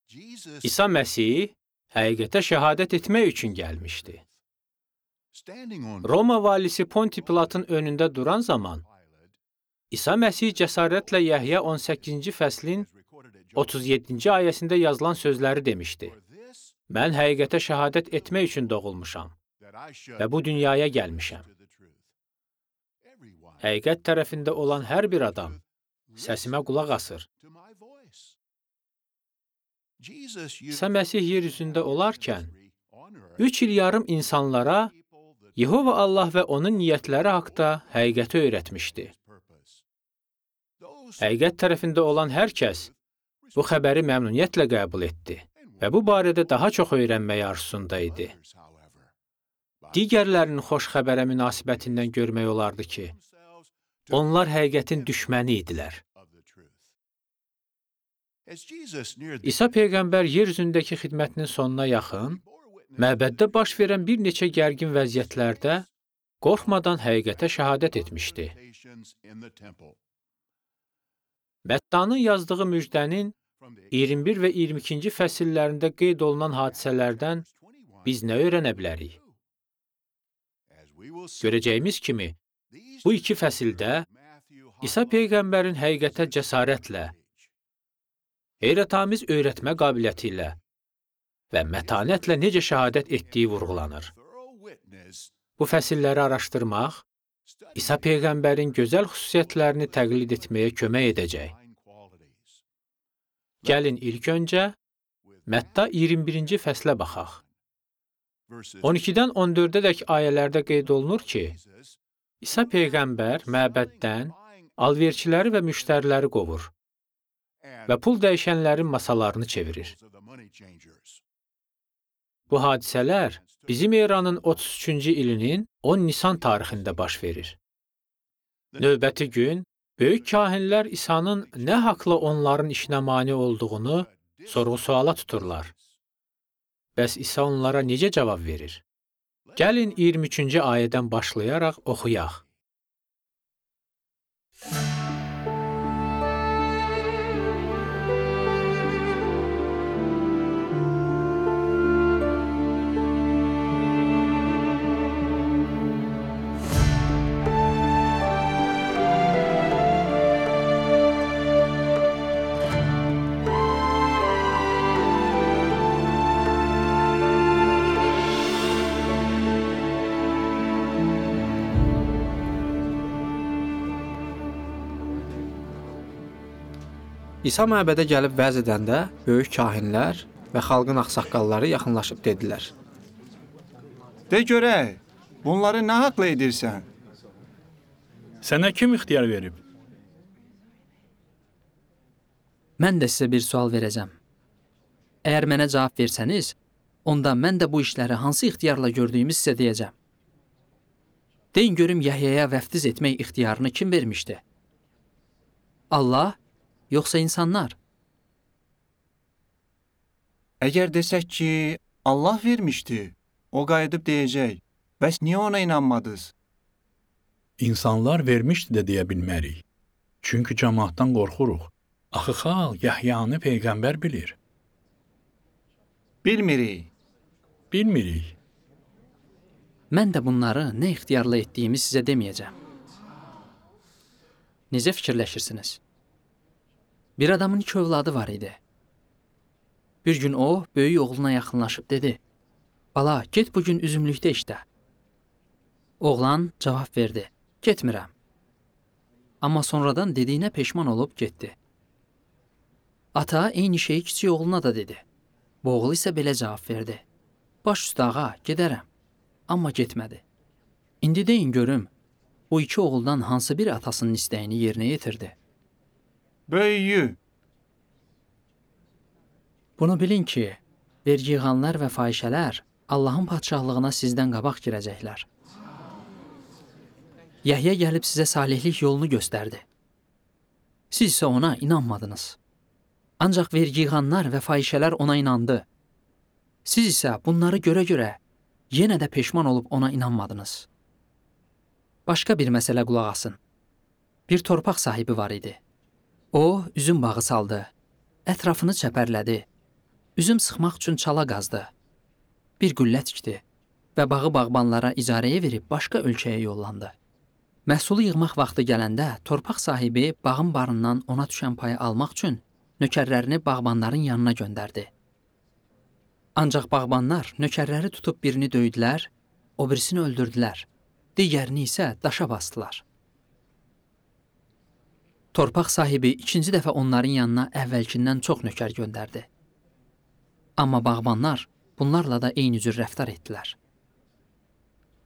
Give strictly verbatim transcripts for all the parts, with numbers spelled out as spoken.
İsa Məsih həqiqətə şəhadət etmək üçün gəlmişdi. Roma valisi Ponti Pilatın önündə duran zaman, İsa Məsih cəsarətlə Yəhya on səkkizinci fəslin otuz yeddinci ayəsində yazılan sözləri demişdi. Mən həqiqətə şəhadət etmək üçün doğulmuşam və bu dünyaya gəlmişəm. Həqiqət tərəfində olan hər bir adam səsimə qulaq asır. İsa Məsih yer üzündə olarkən, üç il yarım insanlara Yehova Allah və onun niyyətləri haqda həqiqəti öyrətmişdi. Həqiqət tərəfində olan hər kəs bu xəbəri məmnuniyyətlə qəbul etdi və bu barədə daha çox öyrənməyə arzusunda idi. Digərlərinin xoş xəbərə münasibətindən görmək olardı ki, onlar həqiqətin düşməni idilər. İsa Peyğəmbər yer üzündəki xidmətinin sonuna yaxın, məbəddə baş verən bir neçə gərgin vəziyyətlərdə qorxmadan həqiqətə şəhadət etmişdi. Məttanın yazdığı müjdənin iyirmi bir və iyirmi ikinci fəsillərində qeyd olunan hadisələrdən biz nə öyrənə bilərik? Görəcəyimiz kimi, bu iki fəsildə İsa Peyğəmbərin həqiqətə cəsarətlə, heyrətamiz öyrətmə qabiliyyəti ilə və mətanətlə necə şəhadət etdiyi vurğulanır. Bu fəsilləri araşdırmaq, İsa Peyğəmbərin gözəl xüsusiyyətlərini təqlid etməyə kömək edəcək. Gəlin ilk öncə Mətta iyirmi birinci fəslə baxaq. on ikidən on dördədək ayələrdə qeyd olunur ki, İsa Peyğəmbər məbəddən alverçiləri və müştəriləri qovur və pul dəyişənlərin masalarını çevirir. Bu hadisələr bizim eranın otuz üçüncü ilinin on Nisan tarixində baş verir. Növbəti gün, böyük kahinlər İsa'nın nə haqla onların işinə mane olduğunu sorğu-suala tuturlar. Bəs İsa onlara necə cavab verir? Gəlin iyirmi üçüncü ayədən başlayaraq oxuyaq. İsa məbədə gəlib vəz edəndə, böyük kahinlər və xalqın ağsaqqalları yaxınlaşıb dedilər. De görək, bunları nə haqla edirsən? Sənə kim ixtiyar verib? Mən də sizə bir sual verəcəm. Əgər mənə cavab versəniz, onda mən də bu işləri hansı ixtiyarla gördüyümü sizə deyəcəm. Deyin görüm, Yahyaya vəftiz etmək ixtiyarını kim vermişdi? Allah, yoxsa insanlar? Əgər desək ki, Allah vermişdi, o qayıdıb deyəcək, bəs niyə ona inanmadınız? İnsanlar vermişdi də deyə bilmərik. Çünki cəmaatdan qorxuruq. Axı xalq Yahyanı Peyğəmbər bilir. Bilmirik. Bilmirik. Mən də bunları nə ixtiyarla etdiyimi sizə deməyəcəm. Necə fikirləşirsiniz? Bir adamın iki övladı var idi. Bir gün o, böyük oğluna yaxınlaşıb dedi, Bala, get bugün üzümlükdə işlə. Oğlan cavab verdi, getmirəm. Amma sonradan dediyinə peşman olub getdi. Ata eyni şeyi kiçik oğluna da dedi. Bu oğul isə belə cavab verdi. Baş üstə ağa, gedərəm. Amma getmədi. İndi deyin görüm, bu iki oğuldan hansı biri atasının istəyini yerinə yetirdi? Böyüyü. Bunu bilin ki, vergi yığanlar və fahişələr Allahın padşahlığına sizdən qabaq girəcəklər. Yəhya gəlib sizə salihlik yolunu göstərdi. Siz isə ona inanmadınız. Ancaq vergi yığanlar və fahişələr ona inandı. Siz isə bunları görə-görə yenə də peşman olub ona inanmadınız. Başqa bir məsələ qulaq asın. Bir torpaq sahibi var idi. O, üzüm bağı saldı, ətrafını çəpərlədi, üzüm sıxmaq üçün çala qazdı. Bir qüllə tikdi və bağı bağbanlara icarəyə verib başqa ölkəyə yollandı. Məhsulu yığmaq vaxtı gələndə torpaq sahibi bağın barından ona düşən payı almaq üçün nökərlərini bağbanların yanına göndərdi. Ancaq bağbanlar nökərləri tutub birini döydülər, o birisini öldürdülər, digərini isə daşa basdılar. Torpaq sahibi ikinci dəfə onların yanına əvvəlkindən çox nökər göndərdi. Amma bağbanlar bunlarla da eyni cür rəftar etdilər.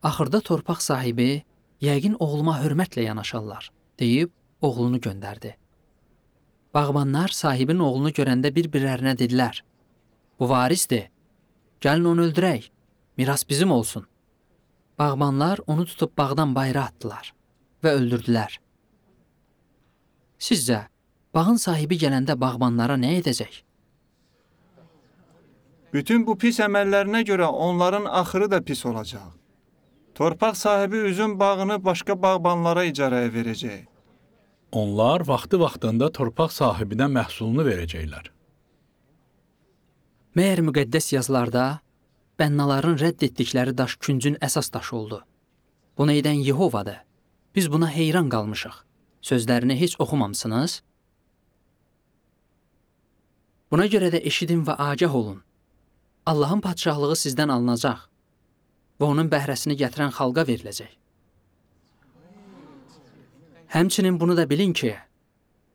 Axırda torpaq sahibi, yəqin oğluma hörmətlə yanaşarlar, deyib oğlunu göndərdi. Bağbanlar sahibin oğlunu görəndə bir-birlərinə dedilər, bu varisdir, gəlin onu öldürək, miras bizim olsun. Bağbanlar onu tutub bağdan bayıra atdılar və öldürdülər. Sizcə, bağın sahibi gələndə bağbanlara nə edəcək? Bütün bu pis əməllərinə görə onların axırı da pis olacaq. Torpaq sahibi üzüm bağını başqa bağbanlara icarəyə verəcək. Onlar vaxtı-vaxtında torpaq sahibinə məhsulunu verəcəklər. Məyər müqəddəs yazılarda bənnaların rədd etdikləri daş küncün əsas daşı oldu. Bunu edən Yehovadır. Biz buna heyran qalmışıq. Sözlərini heç oxumamısınız? Buna görə də eşidin və agah olun. Allahın padşahlığı sizdən alınacaq və onun bəhrəsini gətirən xalqa veriləcək. Həmçinin bunu da bilin ki,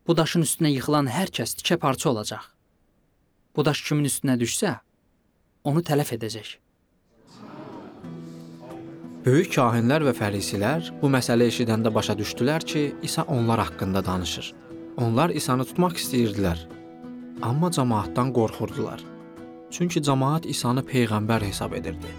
bu daşın üstünə yıxılan hər kəs tikə parça olacaq. Bu daş kimin üstünə düşsə, onu tələf edəcək. Böyük kahinlər və fərisilər bu məsələ eşidəndə başa düşdülər ki, İsa onlar haqqında danışır. Onlar İsanı tutmaq istəyirdilər, amma cəmaatdan qorxurdular. Çünki cəmaat İsanı peyğəmbər hesab edirdi.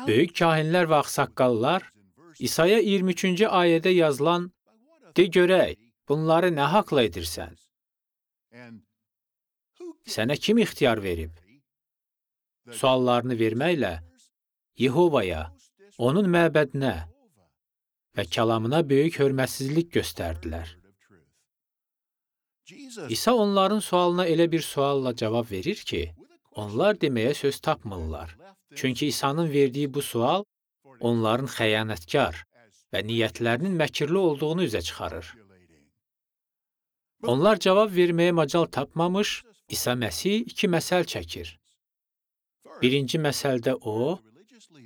Böyük kahinlər və ağsaqqallar İsaya iyirmi üçüncü ayədə yazılan "De görək, bunları nə haqla edirsən? Sənə kim ixtiyar verib?" suallarını verməklə Yehovaya, onun məbədinə və kəlamına böyük hörmətsizlik göstərdilər. İsa onların sualına elə bir sualla cavab verir ki, onlar deməyə söz tapmırlar. Çünki İsa'nın verdiyi bu sual onların xəyanətkar və niyyətlərinin məkirli olduğunu üzə çıxarır. Onlar cavab verməyə macal tapmamış, İsa Məsih iki məsəl çəkir. Birinci məsəldə o,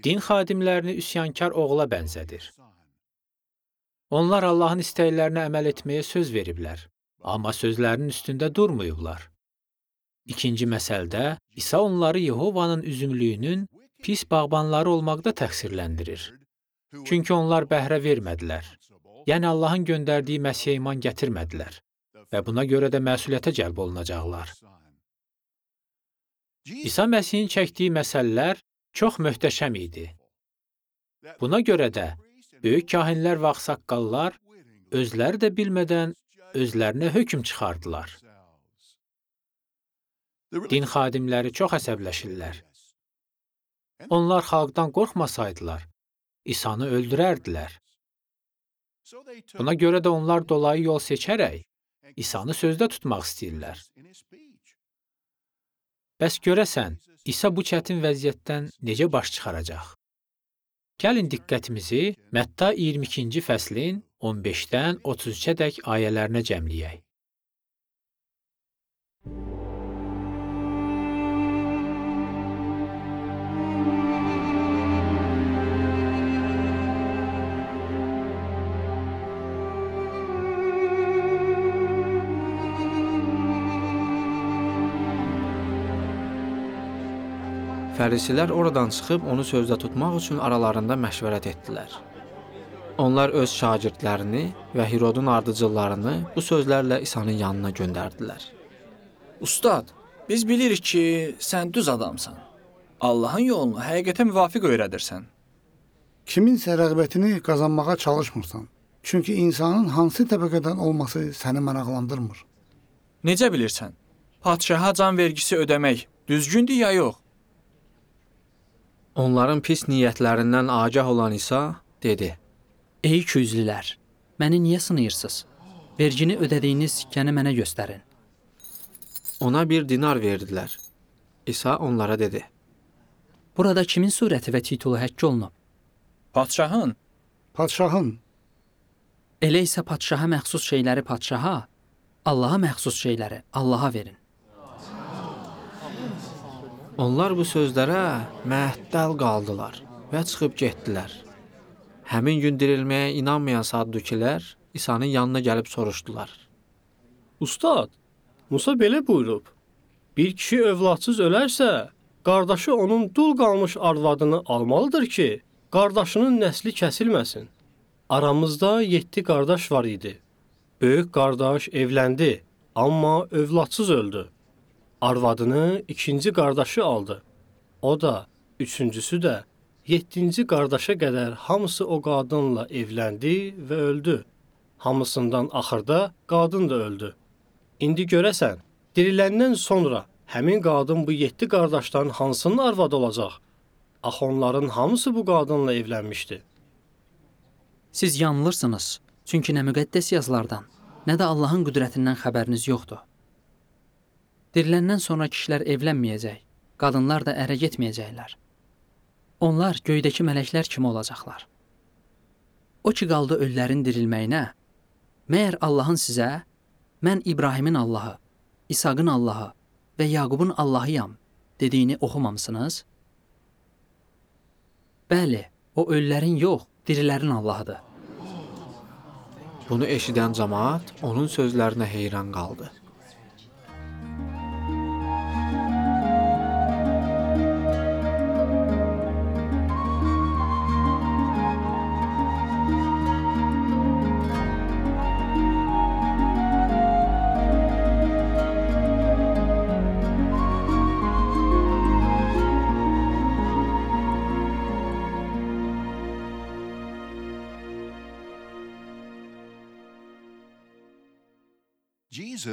din xadimlərini üsyankar oğula bənzədir. Onlar Allahın istəklərinə əməl etməyə söz veriblər, amma sözlərinin üstündə durmayıblar. İkinci məsəldə İsa onları Yehovanın üzümlüyünün pis bağbanları olmaqda təqsirləndirir. Çünki onlar bəhrə vermədilər. Yəni Allahın göndərdiyi Məsihə iman gətirmədilər və buna görə də məsuliyyətə cəlb olunacaqlar. İsa Məsihin çəkdiyi məsələlər çox möhtəşəm idi. Buna görə də böyük kahinlər və ağsaqqallar özləri də bilmədən özlərinə hökm çıxardılar. Din xadimləri çox əsəbləşirlər. Onlar xalqdan qorxmasaydılar, İsanı öldürərdilər. Buna görə də onlar dolayı yol seçərək İsanı sözdə tutmaq istəyirlər. Bəs görəsən, İsa bu çətin vəziyyətdən necə baş çıxaracaq? Gəlin diqqətimizi Mətta iyirmi ikinci fəslin on beşdən otuz üçə dək ayələrinə cəmləyək. Fərisilər oradan çıxıb onu sözdə tutmaq üçün aralarında məşvərət etdilər. Onlar öz şagirdlərini və Hirodun ardıcıllarını bu sözlərlə İsa'nın yanına göndərdilər. Ustad, biz bilirik ki, sən düz adamsan. Allahın yolunu həqiqətə müvafiq öyrədirsən. Kiminsə rəğbətini qazanmağa çalışmırsan. Çünki insanın hansı təbəqədən olması səni maraqlandırmır. Necə bilirsən? Padşaha can vergisi ödəmək düzgündür ya yox? Onların pis niyyətlərindən agah olan İsa dedi: Ey ikiyüzlülər, məni niyə sınayırsınız? Vergini ödədiyiniz sikkəni mənə göstərin. Ona bir dinar verdilər. İsa onlara dedi: Burada kimin surəti və titulu həkk olunub? Padşahın. Padşahın. Elə isə padşaha məxsus şeyləri padşaha, Allaha məxsus şeyləri Allaha verin. Onlar bu sözlərə məəttəl qaldılar və çıxıb getdilər. Həmin gün dirilməyə inanmayan Saddukilər İsa'nın yanına gəlib soruşdular: Ustad, Musa belə buyurub: Bir kişi övladsız ölərsə, qardaşı onun dul qalmış arvadını almalıdır ki, qardaşının nəsli kəsilməsin. Aramızda yeddi qardaş var idi. Böyük qardaş evləndi, amma övladsız öldü. Arvadını ikinci qardaşı aldı. O da, üçüncüsü də, yeddinci qardaşa qədər hamısı o qadınla evləndi və öldü. Hamısından axırda qadın da öldü. İndi görəsən, diriləndən sonra həmin qadın bu yeddi qardaşdan hansının arvadı olacaq? Axı onların hamısı bu qadınla evlənmişdi. Siz yanılırsınız, çünki nə müqəddəs yazılardan, nə də Allahın qüdrətindən xəbəriniz yoxdur. Diriləndən sonra kişilər evlənməyəcək, qadınlar da ərə getməyəcəklər. Onlar göydəki mələklər kimi olacaqlar. O ki qaldı ölülərin dirilməyinə, məyər Allahın sizə, mən İbrahimin Allahı, İsaqın Allahı və Yaqubun Allahıyam dediyini oxumamısınız? Bəli, o ölülərin yox, dirilərin Allahıdır. Bunu eşidən cəmaət onun sözlərinə heyran qaldı.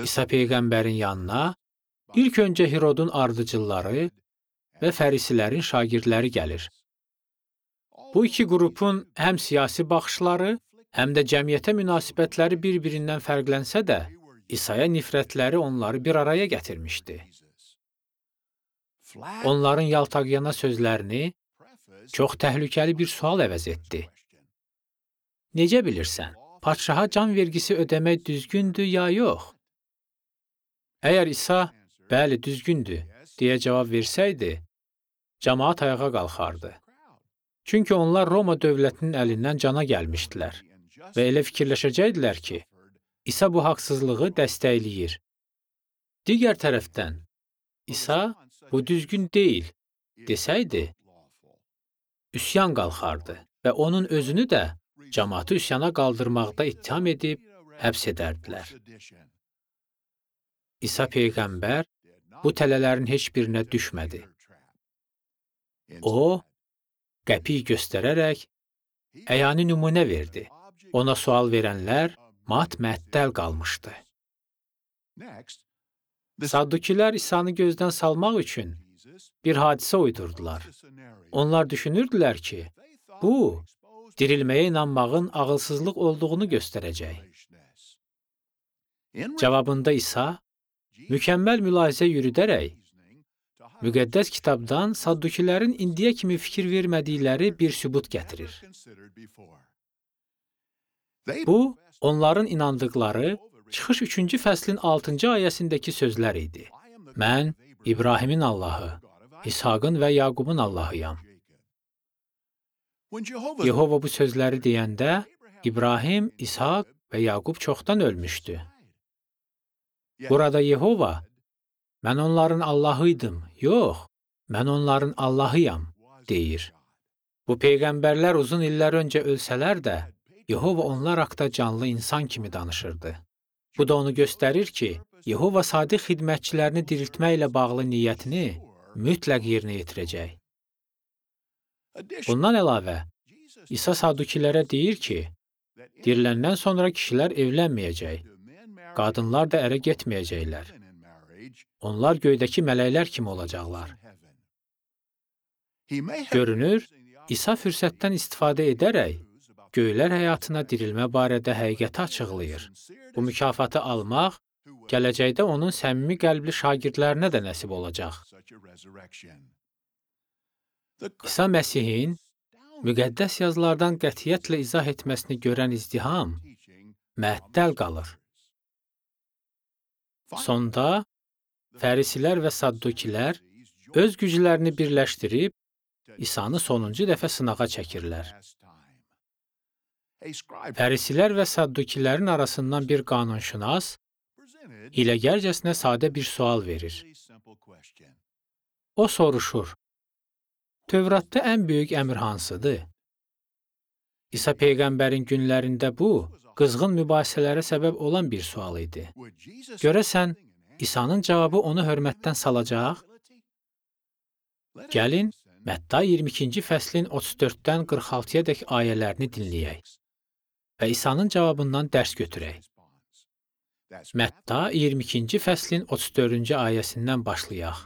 İsa Peyğəmbərin yanına ilk öncə Herodun ardıcılları və fərisilərin şagirdləri gəlir. Bu iki qrupun həm siyasi baxışları, həm də cəmiyyətə münasibətləri bir-birindən fərqlənsə də, İsa'ya nifrətləri onları bir araya gətirmişdi. Onların yaltaqyana sözlərini çox təhlükəli bir sual əvəz etdi. Necə bilirsən, padşaha can vergisi ödəmək düzgündür ya yox? Əgər İsa, bəli, düzgündür, deyə cavab versəydi, cəmaət ayağa qalxardı. Çünki onlar Roma dövlətinin əlindən cana gəlmişdilər və elə fikirləşəcəkdilər ki, İsa bu haqsızlığı dəstəkləyir. Digər tərəfdən, İsa, bu düzgün deyil, desəydi, üsyan qalxardı və onun özünü də cəmaatı üsyana qaldırmaqda ittiham edib həbs edərdilər. İsa Peyğəmbər bu tələlərin heç birinə düşmədi. O, qəpik göstərərək əyani nümunə verdi. Ona sual verənlər mat-məəttəl qalmışdı. Saddukilər İsanı gözdən salmaq üçün bir hadisə uydurdular. Onlar düşünürdülər ki, bu, dirilməyə inanmağın ağılsızlıq olduğunu göstərəcək. Cavabında İsa, mükəmməl mülahizə yürüdərək, müqəddəs kitabdan Saddukilərin indiyə kimi fikir vermədikləri bir sübut gətirir. Bu, onların inandıqları Çıxış üçüncü fəslin altıncı ayəsindəki sözlər idi. Mən İbrahimin Allahı, İshaqın və Yaqubun Allahıyam. Yehova bu sözləri deyəndə, İbrahim, İshaq və Yaqub çoxdan ölmüşdü. Burada Yehova, mən onların Allahıydım, yox, mən onların Allahıyam, deyir. Bu peyğəmbərlər uzun illər öncə ölsələr də, Yehova onlar haqda canlı insan kimi danışırdı. Bu da onu göstərir ki, Yehova sadiq xidmətçilərini diriltməklə bağlı niyyətini mütləq yerinə yetirəcək. Bundan əlavə, İsa Sadukilərə deyir ki, diriləndən sonra kişilər evlənməyəcək, qadınlar da ərə getməyəcəklər. Onlar göydəki mələklər kimi olacaqlar. Görünür, İsa fürsətdən istifadə edərək göylər həyatına dirilmə barədə həqiqəti açıqlayır. Bu mükafatı almaq gələcəkdə onun səmimi qəlbli şagirdlərinə də nəsib olacaq. İsa Məsihin müqəddəs yazılardan qətiyyətlə izah etməsini görən izdiham məəttəl qalır. Sonda Fərisilər və Saddukilər öz güclərini birləşdirib İsanı sonuncu dəfə sınağa çəkirlər. Fərisilər və Saddukilərin arasından bir qanunşünas hiləgərcəsinə sadə bir sual verir. O soruşur, Tövratda ən böyük əmr hansıdır? İsa Peyğəmbərin günlərində bu, qızğın mübahisələrə səbəb olan bir sual idi. Görəsən, İsa'nın cavabı onu hörmətdən salacaq? Gəlin, Mətta iyirmi ikinci fəslin otuz dörddən qırx altıya dək ayələrini dinləyək və İsa'nın cavabından dərs götürək. Mətta iyirmi ikinci fəslin otuz dördüncü ayəsindən başlayaq.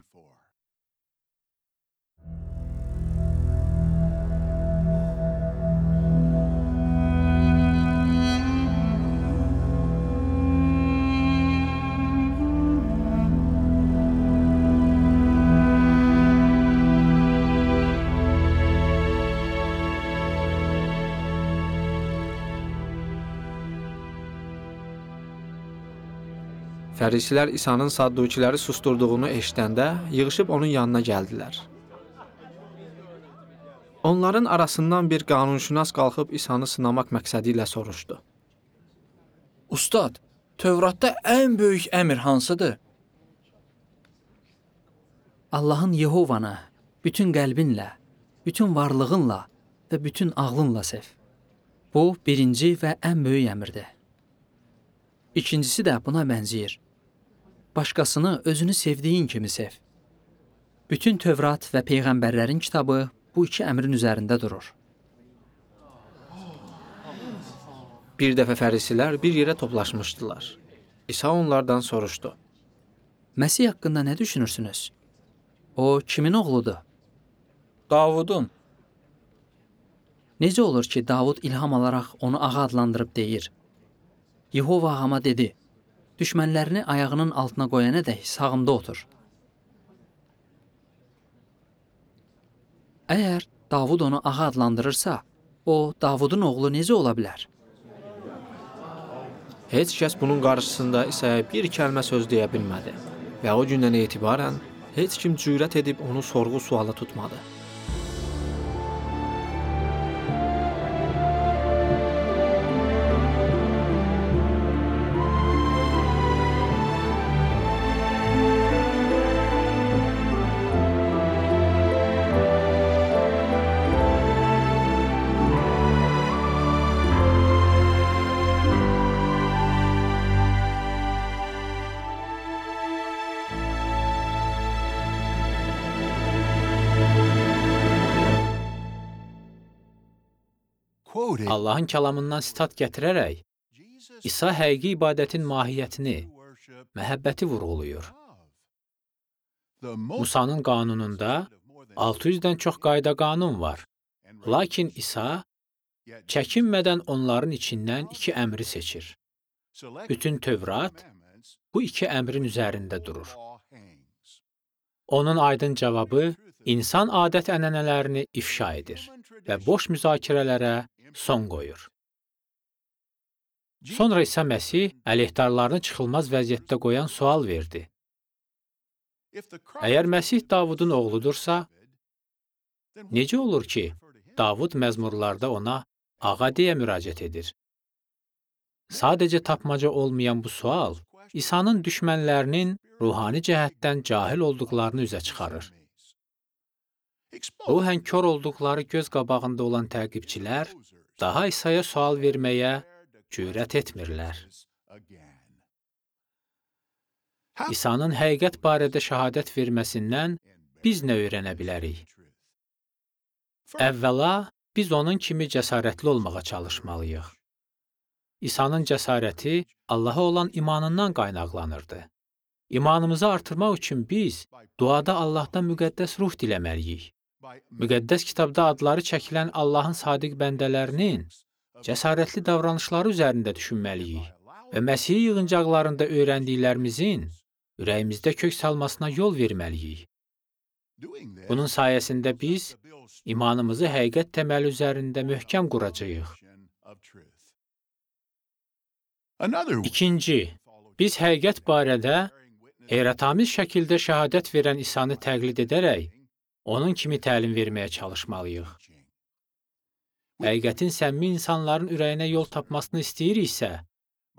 Fərisilər İsa'nın Saddukiləri susturduğunu eşidəndə yığışıb onun yanına gəldilər. Onların arasından bir qanunşünas qalxıb İsa'nı sınamaq məqsədi ilə soruşdu. Ustad, Tövratda ən böyük əmr hansıdır? Allahın Yehovana bütün qəlbinlə, bütün varlığınla və bütün ağlınla sev. Bu, birinci və ən böyük əmrdir. İkincisi də buna bənzəyir. Başqasını özünü sevdiyin kimi sev. Bütün Tövrat və Peyğəmbərlərin kitabı bu iki əmrin üzərində durur. Bir dəfə fərisilər bir yerə toplaşmışdılar. İsa onlardan soruşdu. Məsih haqqında nə düşünürsünüz? O kimin oğludur? Davudun. Necə olur ki, Davud ilham alaraq onu ağa adlandırıb deyir? Yehova ağama dedi, düşmənlərini ayağının altına qoyana dək sağımda otur. Əgər Davud onu ağa adlandırırsa, o, Davudun oğlu necə ola bilər? Heç kəs bunun qarşısında İsa'ya bir kəlmə söz deyə bilmədi və o gündən etibarən heç kim cürət edib onu sorğu suala tutmadı. Allahın kəlamından sitat gətirərək, İsa həqiqi ibadətin mahiyyətini, məhəbbəti vurğulayır. Musanın qanununda altı yüzdən çox qayda qanun var. Lakin İsa çəkinmədən onların içindən iki əmri seçir. Bütün Tövrat bu iki əmrin üzərində durur. Onun aydın cavabı insan adət-ənənələrini ifşa edir və boş müzakirələrə son qoyur. Sonra İsa Məsih əleyhdarlarını çıxılmaz vəziyyətdə qoyan sual verdi. Əgər Məsih Davudun oğludursa, necə olur ki, Davud məzmurlarda ona ağa deyə müraciət edir? Sadəcə tapmaca olmayan bu sual, İsa'nın düşmənlərinin ruhani cəhətdən cahil olduqlarını üzə çıxarır. Ruhən kör olduqları göz qabağında olan təqibçilər daha İsa'ya sual verməyə cürət etmirlər. İsa'nın həqiqət barədə şəhadət verməsindən biz nə öyrənə bilərik? Əvvəla, biz onun kimi cəsarətli olmağa çalışmalıyıq. İsa'nın cəsarəti Allaha olan imanından qaynaqlanırdı. İmanımızı artırmaq üçün biz duada Allahdan müqəddəs ruh diləməliyik. Müqəddəs kitabda adları çəkilən Allahın sadiq bəndələrinin cəsarətli davranışları üzərində düşünməliyik və Məsihi yığıncaqlarında öyrəndiklərimizin ürəyimizdə kök salmasına yol verməliyik. Bunun sayəsində biz imanımızı həqiqət təməli üzərində möhkəm quracağıq. İkinci, biz həqiqət barədə heyrətamiz şəkildə şəhadət verən İsa'nı təqlid edərək, onun kimi təlim verməyə çalışmalıyıq. Həqiqətin səmimi insanların ürəyinə yol tapmasını istəyiriksə,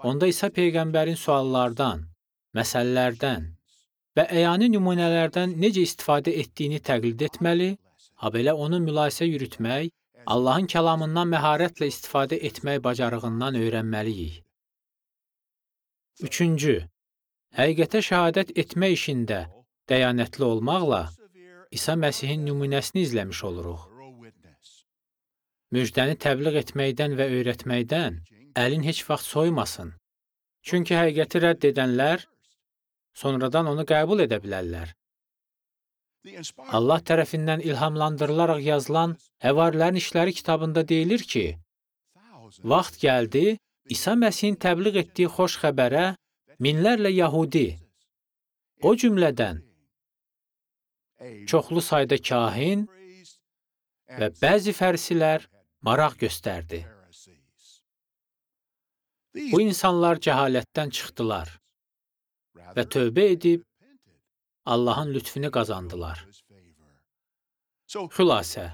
onda İsa Peyğəmbərin suallardan, məsələlərdən və əyani nümunələrdən necə istifadə etdiyini təqlid etməli, habelə onun mülahisə yürütmək, Allahın kəlamından məharətlə istifadə etmək bacarığından öyrənməliyik. Üçüncü, həqiqətə şəhadət etmə işində dəyanətli olmaqla İsa Məsihin nümunəsini izləmiş oluruq. Müjdəni təbliğ etməkdən və öyrətməkdən əlin heç vaxt soymasın. Çünki həqiqəti rədd edənlər sonradan onu qəbul edə bilərlər. Allah tərəfindən ilhamlandırılaraq yazılan Həvarilərin İşləri kitabında deyilir ki, vaxt gəldi, İsa Məsihin təbliğ etdiyi xoş xəbərə minlərlə Yahudi, o cümlədən çoxlu sayda kahin və bəzi fərisilər maraq göstərdi. Bu insanlar cəhalətdən çıxdılar və tövbə edib Allahın lütfünü qazandılar. Xülasə,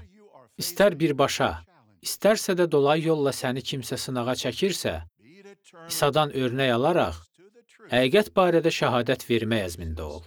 istər birbaşa, istərsə də dolay yolla səni kimsə sınağa çəkirsə, İsa'dan örnək alaraq, həqiqət barədə şəhadət vermək əzmində ol.